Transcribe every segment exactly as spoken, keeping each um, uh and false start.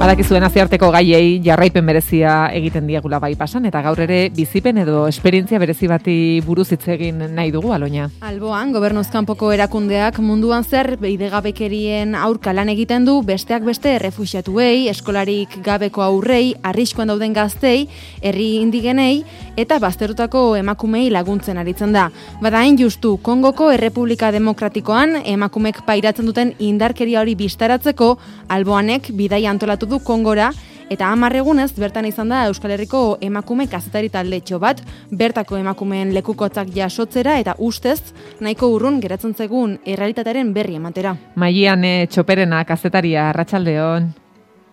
Badakizuen nazioarteko gaiei jarraipen berezia egiten diegula bai pasan, eta gaur ere bizipen edo esperientzia berezi bati buruz hitz egin nahi dugu, Aloña. Alboan, gobernuz kanpoko erakundeak munduan zer bidegabekerien aurka lan egiten du, besteak beste errefuxiatuei, eskolarik gabeko aurrei, arriskoan dauden gaztei, herri indigenei eta bazterutako emakumei laguntzen aritzen da. Bada hain justu, Kongoko Errepublika Demokratikoan emakumek pairatzen duten indarkeria hori bistaratzeko, Alboanek bidaia antolatu du Kongora, eta hamar egunez bertan izan da Euskal Herriko emakume kazetari taldetxo bat, bertako emakumeen lekukotzak jasotzera eta ustez nahiko urrun geratzen zegun errealitatearen berri ematera. Maian e, Txoperena kazetaria, arratsaldeon.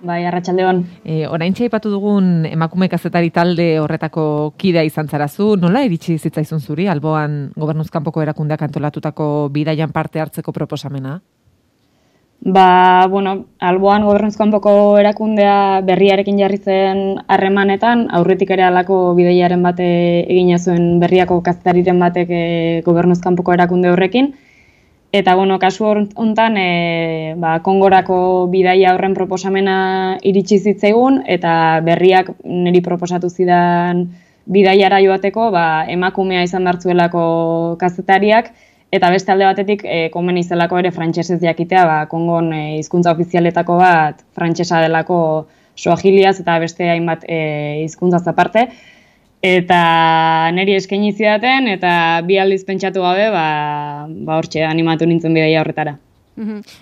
Bai, arratsaldeon. E, oraintxe aipatu dugun emakume kazetari talde horretako kidea izan zarazu, nola iritsi zitzaizun zuri Alboan gobernuz kanpoko erakundeak antolatutako bidaian parte hartzeko proposamena? Ba, bueno, Alboan gobernuz kanpoko erakundea berriarekin jarri zen harremanetan, aurretik ere halako bidaiaren bate egina zuen berriako kazetariren batek e, gobernuz kanpoko erakunde horrekin. Eta, bueno, kasu honetan, e, ba, Kongorako bidaia horren proposamena iritsi zitzaigun, eta berriak niri proposatu zidan bidaiara joateko, ba, emakumea izan dartzuelako kazetariak, eta beste alde batetik, e, komen izelako ere frantsesez jakitea, ba, Kongon e, hizkuntza ofizialetako bat frantsesa delako suahiliaz eta beste hainbat e, hizkuntzaz aparte. Eta niri eskaini zidaten, eta bi aldiz pentsatu gabe, ba, ba hortxe animatu nintzen bidaia horretara.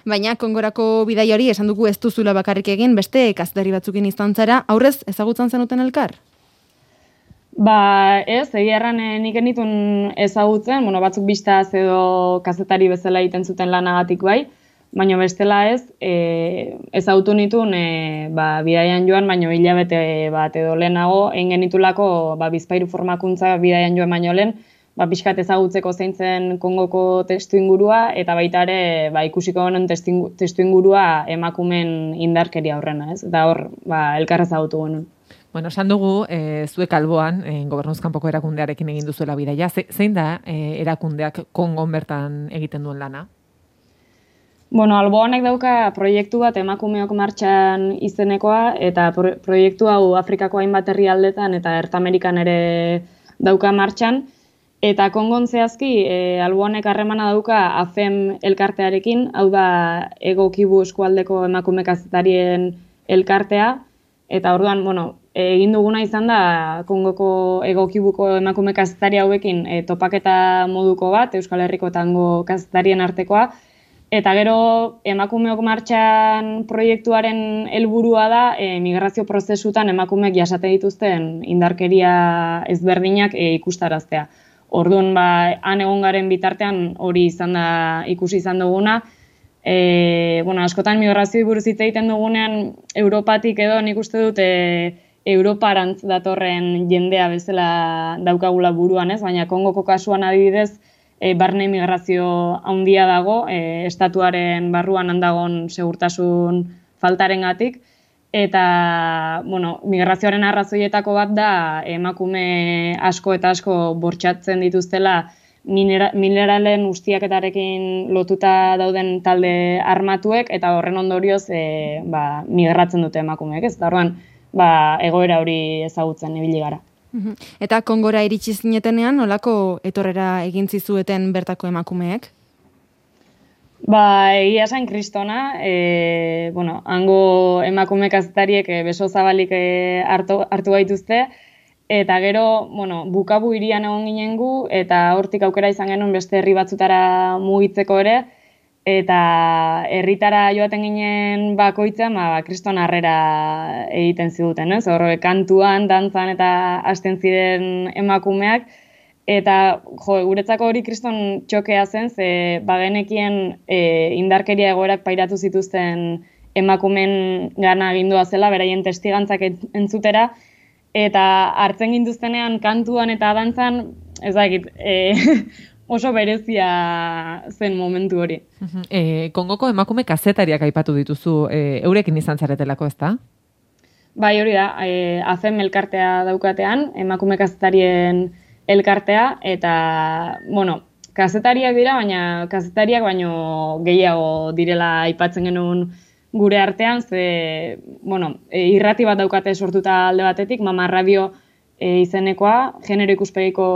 Baina Kongorako bidai hori esan dugu ez duzula bakarrik egin, beste kazetari batzukin izan zara, aurrez ezagutzen zenuten elkar? Ba, ez, egia erran eh, nik enitun ezagutzen, bueno, batzuk bistaz edo kazetari bezala egiten zuten lanagatik bai, baina bestela ez, e, ezagutu nitun e, ba, bidaian joan, baina hilabete bat edo lehenago, egin genitulako ba, bizpairu formakuntza bidaian joan baino lehen, ba, pixkat ezagutzeko zein zen Kongoko testu ingurua, eta baita ere ba, ikusiko honen testu ingurua emakumen indarkeria horrena, ez? Eta hor, ba, elkar ezagutu genuen. Bueno, esan dugu, e, zuek Alboan, e, gobernuz kanpoko erakundearekin egin duzuela bidaia. Ze, zein da e, erakundeak Kongon bertan egiten duen lana? Bueno, Alboanek dauka proiektu bat emakumeok martxan izenekoa, eta pro, proiektu hau Afrikako hainbat herrialdetan eta Ertamerikan ere dauka martxan. Eta Kongon zehazki, e, Alboanek harremana dauka A F E M elkartearekin, hau da Ego Kivu eskualdeko emakume kazetarien elkartea, eta orduan, bueno, egin duguna izan da Kongoko Ego Kivuko emakume kazetari hauekin e, topaketa moduko bat, Euskal Herriko eta hango kazetarien artekoa, eta gero emakumeok martxan proiektuaren helburua da e, migrazio prozesutan emakumeek jasate dituzten indarkeria ezberdinak e, ikustaraztea. Orduan, ba, han egon garen bitartean hori izan da ikusi izan duguna. E, bueno, askotan migrazioi buruz hitz egiten dugunean Europatik edo nik uste dut e, Europarantz datorren jendea bezala daukagula buruan, ez? Baina Kongoko kasuan adibidez e, barne migrazio handia dago, e, estatuaren barruan handagon segurtasun faltarengatik, eta bueno, migrazioaren arrazoietako bat da emakume asko eta asko bortxatzen dituztela Minera, mineralen ustiaketarekin lotuta dauden talde armatuek, eta horren ondorioz e, ba, migratzen dute emakumeek, ez? Eta horren, ba, egoera hori ezagutzen ibili gara. Eta Kongora iritsi zinetenean, nolako etorrera egin zizueten bertako emakumeek? Ba, egia esan kristona, e, bueno, hango emakume kazetariek e, beso zabalik e, hartu, hartu gaituzte, eta gero, bueno, bukabu hirian egon ginen gu, eta hortik aukera izan genuen beste herri batzutara mugitzeko ere, eta herritara joaten ginen bakoitzan, ba, kriston harrera egiten ziguten, ez? Hor, kantuan, dantzan eta hasten ziren emakumeak, eta jo, guretzako hori kriston txokea zen, ze bagenekien e, indarkeria egoerak pairatu zituzten emakumen gana agindua zela, beraien testigantzak entzutera, eta hartzen gintuztenean kantuan eta dantzan, ez dakit, e, oso berezia zen momentu hori. E, Kongoko emakume kazetariak aipatu dituzu, e, eurekin izan zaretelako, ez da? Bai, hori da, e, A F E M elkartea daukatean, emakume kazetarien elkartea, eta, bueno, kazetariak dira, baina kazetariak baino gehiago direla aipatzen genuen gure artean, ze, bueno, e, irrati bat daukate sortuta alde batetik, Mama Radio e, izenekoa, genero ikuspegiko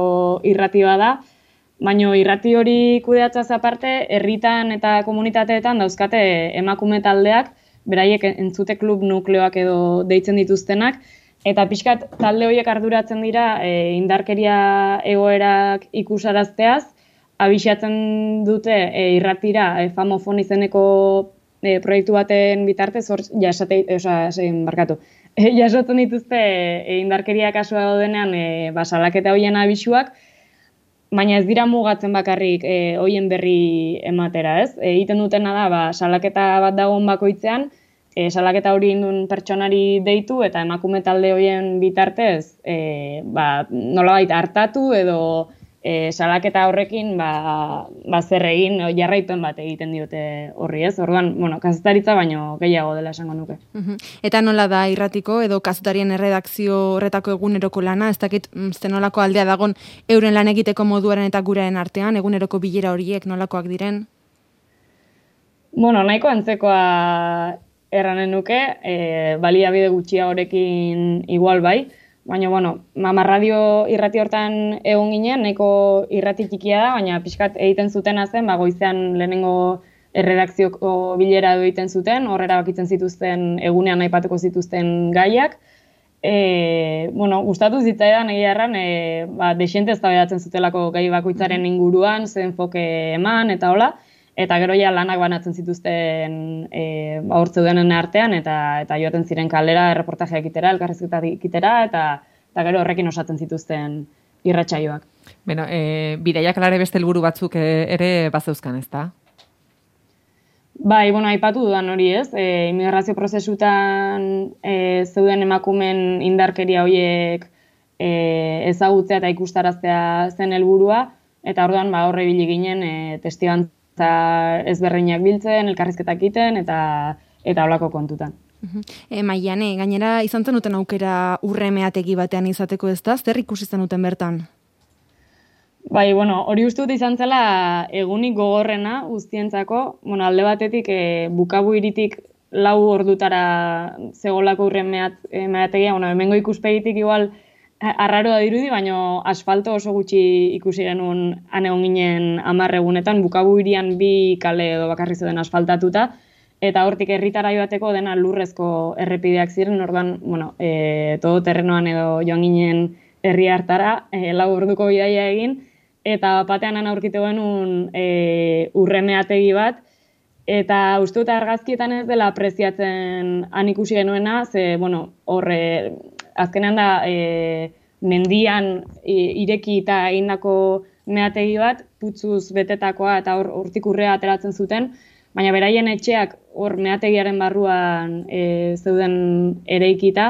irrati bat da, baina irrati hori kudeatzaz aparte, herritan eta komunitateetan dauzkate emakume taldeak, beraiek entzute klub nukleoak edo deitzen dituztenak, eta pixkat talde horiek arduratzen dira e, indarkeria egoerak ikusarazteaz, abixatzen dute e, irratira e, Famofon izeneko e, proiektu baten bitartez, hor jasate, oza, zein barkatu, e, jasotzen dituzte e, indarkeria kasua daudenean e, ba, salaketa horien abisuak, baina ez dira mugatzen bakarrik e, hoien berri ematera, ez? E, egiten dutena da, ba, salaketa bat dagoen bakoitzean, e, salaketa hori indun pertsonari deitu eta emakume talde horien bitartez e, ba, nolabait hartatu edo e, salaketa horrekin ba, ba zer egin jarraipen bat egiten diote horri, ez? Orduan, bueno, kazetaritza baino gehiago dela esango nuke. Uh-huh. Eta nola da irratiko edo kazetarien erredakzio horretako eguneroko lana, ez dakit zenolako aldea dagon euren lan egiteko moduaren eta guraren artean, eguneroko bilera horiek nolakoak diren? Bueno, nahiko antzekoa erranen nuke, e, baliabide gutxia horekin igual bai, baina, bueno, Mama Radio irrati hortan egon ginen, nahiko irrati txikia da, baina pixkat egiten zutena zen, ba, goizean lehenengo erredakzioko bilera edo egiten zuten, horrera bakitzen zituzten egunean aipatuko zituzten gaiak. E, bueno, gustatu zitzaidan egia erran, e, ba, dexente eztabaidatzen zutelako gai bakoitzaren inguruan, zen enfoke eman, eta hola, eta gero ja lanak banatzen zituzten e, ba, hor zeudenen artean, eta eta joaten ziren kalera, erreportajea ekitera, elkarrizketa ekitera, eta, eta gero horrekin osatzen zituzten irratsaioak. Bueno, e, bidaiak alare beste helburu batzuk ere bazeuzkan, ez da? Bai, bueno, aipatu dudan hori ez, e, immigrazio prozesutan e, zeuden emakumen indarkeria horiek e, ezagutzea eta ikustaraztea zen helburua, eta orduan ba, horre ibili ginen e, testigantza ezberdinak biltzen, elkarrizketak egiten eta eta holako kontutan. Uh-huh. E, Maiane, gainera izan zenuten aukera urremeategi batean izateko, ez da? Zer ikusi zenuten bertan? Bai, bueno, hori uste dut izan zela egunik gogorrena guztientzako, bueno, alde batetik e, bukabu iritik lau ordutara zegolako urremeategia, bueno, hemengo ikuspegitik igual arraroa dirudi, baina asfalto oso gutxi ikusi genuen han egon ginen hamar egunetan, bukabu irian bi kale edo bakarri zeuden asfaltatuta, eta hortik herritara joateko dena lurrezko errepideak ziren, orduan, bueno, e, todo terrenoan edo joan ginen herri hartara, e, lau orduko bidaia egin, eta batean han aurkitu genuen e, urremeategi bat, eta uste dut argazkietan ez dela apreziatzen han ikusi genuena, ze, bueno, horre, azkenean da e, mendian e, ireki eta egindako meategi bat, putzuz betetakoa eta hor hortik urrea ateratzen zuten, baina beraien etxeak hor meategiaren barruan e, zeuden ereikita,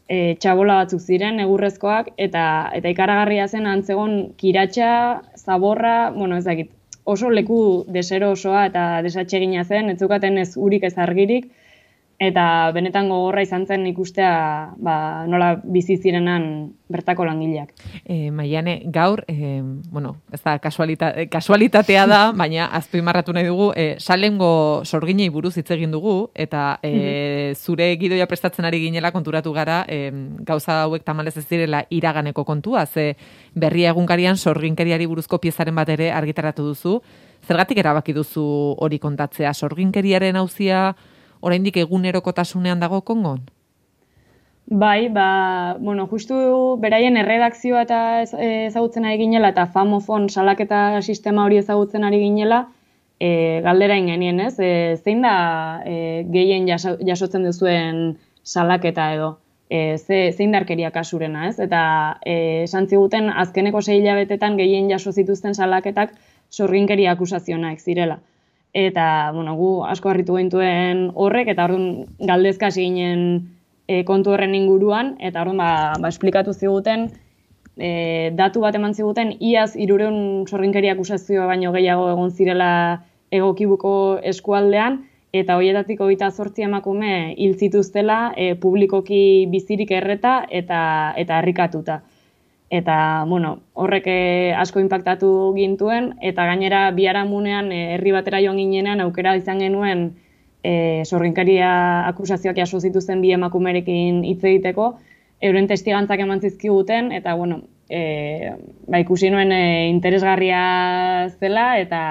e, txabola batzuk ziren, egurrezkoak, eta eta ikaragarria zen antzegon kiratxa, zaborra, bueno, ez dakit, oso leku desero osoa eta desatsegina zen, ez zukaten ez urik ez argirik, eta benetan gogorra izan zen ikustea ba, nola bizi zirenan bertako langileak. E, Maiane, gaur, e, bueno, ez da kasualita, kasualitatea da, baina azpimarratu nahi dugu, e, salengo sorginei buruz hitz egin dugu, eta e, zure gidoia prestatzen ari ginela konturatu gara, e, gauza hauek tamalez ez direla iraganeko kontua, ze berria egunkarian sorginkeriari buruzko piezaren bat ere argitaratu duzu. Zergatik erabaki duzu hori kontatzea? Sorginkeriaren auzia oraindik egunerokotasunean dago Kongon? Bai, ba, bueno, justu beraien erredakzioa eta ezagutzen ari ginela eta Famofon salaketa sistema hori ezagutzen ari ginela, e, galdera ingenien, ez? E, zein da e, gehien jaso, jasotzen duzuen salaketa edo? E, ze, zein darkeria kasurena, ez? Eta e, esan ziguten azkeneko sei hilabetetan gehien jaso zituzten salaketak sorginkeria akusazionak zirela. Eta, bueno, gu asko harritu gintuen horrek, eta orduan galdezka hasi ginen e, kontu horren inguruan, eta orduan ba, ba esplikatu ziguten, e, datu bat eman ziguten, iaz hirurehun sorginkeria akusazio baino gehiago egon zirela egokibuko eskualdean, eta horietatik hogeita zortzi emakume hil zituztela e, publikoki bizirik erreta eta, eta harrikatuta. Eta, bueno, horrek asko inpaktatu gintuen, eta gainera biharamunean herri batera joan ginenean aukera izan genuen e, sorginkaria akusazioak jaso zituzten bi emakumerekin hitz egiteko, euren testigantzak eman zizkiguten, eta, bueno, e, ba, ikusi nuen e, interesgarria zela, eta,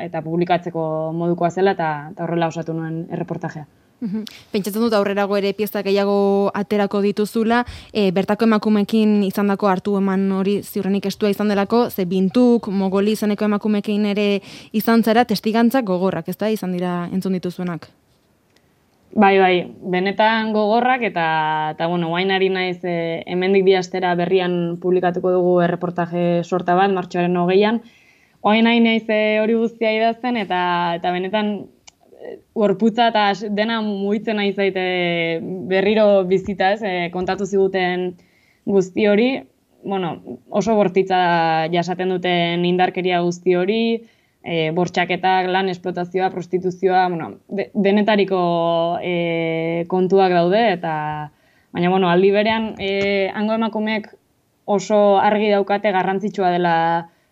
eta publikatzeko modukoa zela, eta, eta horrela osatu nuen erreportajea. Pentsatzen dut aurrerago ere pieza gehiago aterako dituzula, e, bertako emakumekin izandako hartu eman hori ziurrenik estua izan delako, ze Bintuk, Mogoli izeneko emakumekin ere izan zara testigantzak gogorrak, ez da, izan dira entzun dituzuenak? Bai, bai, benetan gogorrak, eta, eta bueno, guain ari naiz e, hemendik bi astera berrian publikatuko dugu erreportaje sorta bat, martxoaren hogeian, guain ari naiz e, hori guztia idazten, eta, eta benetan gorputza eta dena mugitzen nahi zaite berriro bizita, ez, e, kontatu ziguten guzti hori, bueno, oso bortitza jasaten duten indarkeria guzti hori, e, bortxaketak, lan esplotazioa, prostituzioa, bueno, de, denetariko e, kontuak daude, eta baina, bueno, aldi berean, e, hango emakumeek oso argi daukate garrantzitsua dela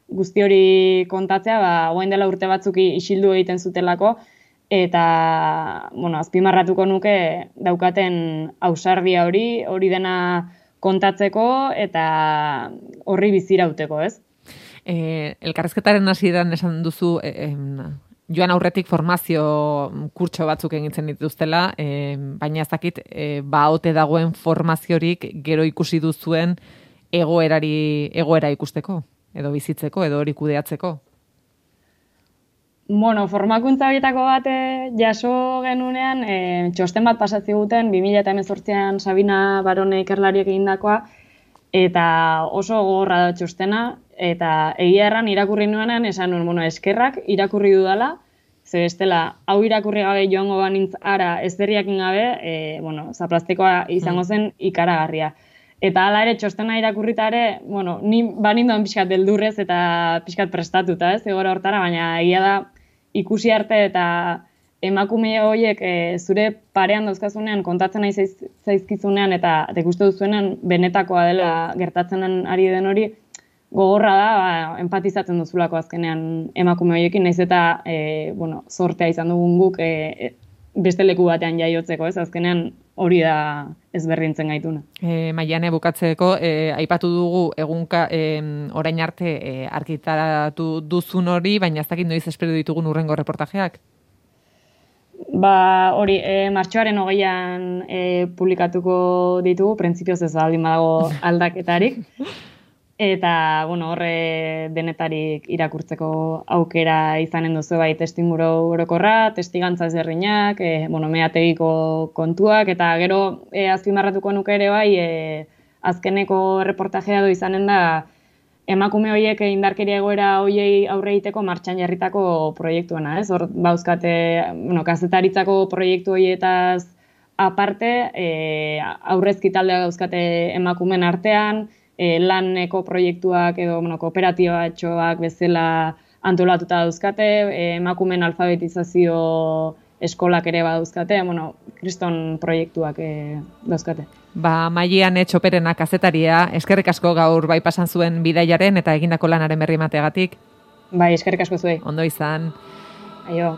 guzti hori kontatzea, ba, orain dela urte batzuk isildu egiten zutelako, eta, bueno, azpimarratuko nuke daukaten ausardia hori, hori dena kontatzeko eta horri bizirauteko, ez? Eh, elkarrezketaren hasieran esan duzu, eh, joan aurretik formazio kurtso batzuk egintzen dituztela, eh, baina ez dakit, eh, ba ote dagoen formaziorik gero ikusi duzuen egoerari, egoera ikusteko, edo bizitzeko, edo hori kudeatzeko. Bueno, formakuntza horietako bat jaso genunean, e, txosten bat pasatzi guten, bi mila hemezortzian Sabina Barone ikerlariek egindakoa, eta oso gogorra da txostena, eta egia erran irakurri nuenean, esan nuen, bueno, eskerrak irakurri dudala, ze bestela, hau irakurri gabe joango banintz ara ezberriakin gabe, e, bueno, zaplastikoa izango zen ikaragarria. Eta hala ere, txostena irakurrita ere, bueno, ni banindoan pixkat beldurrez eta pixkat prestatuta, ez, egora hortara, baina egia da, ikusi arte eta emakume horiek e, zure parean dauzkazunean, kontatzen nahi zaiz, zaizkizunean eta ikuste duzuenean benetakoa dela gertatzen ari den hori, gogorra da, ba, empatizatzen duzulako azkenean emakume horiekin, nahiz eta e, bueno, zortea izan dugun guk e, beste leku batean jaiotzeko, ez? Azkenean hori da ezberdintzen gaituna. E, Maiane, bukatzeko, e, aipatu dugu egunka e, orain arte e, argitaratu duzun hori, baina ez dakit noiz espero ditugun urrengo reportajeak? Ba, hori, e, martxoaren hogeian e, publikatuko ditugu, printzipioz ez baldin badago aldaketarik. Eta, bueno, horre denetarik irakurtzeko aukera izanen duzu bai testimuro orokorra, testigantza ezberdinak, e, bueno, meategiko kontuak, eta gero e, azpimarratuko nuke ere bai, e, azkeneko reportajea du izanen da emakume horiek indarkeria egoera horiei aurre egiteko martxan jarritako proiektuena, ez? Hor bauzkate, bueno, kazetaritzako proiektu horietaz aparte, e, aurrezki taldea dauzkate emakumen artean, E, laneko proiektuak edo bueno, kooperatibatxoak bezala antolatuta dauzkate, e, emakumen alfabetizazio eskolak ere badauzkate, bueno, kriston proiektuak e, dauzkate. Ba, Maiane Txoperena kazetaria, eskerrik asko gaur bai pasan zuen bidaiaren eta egindako lanaren berri emateagatik. Bai, eskerrik asko zuei. Ondo izan. Aio.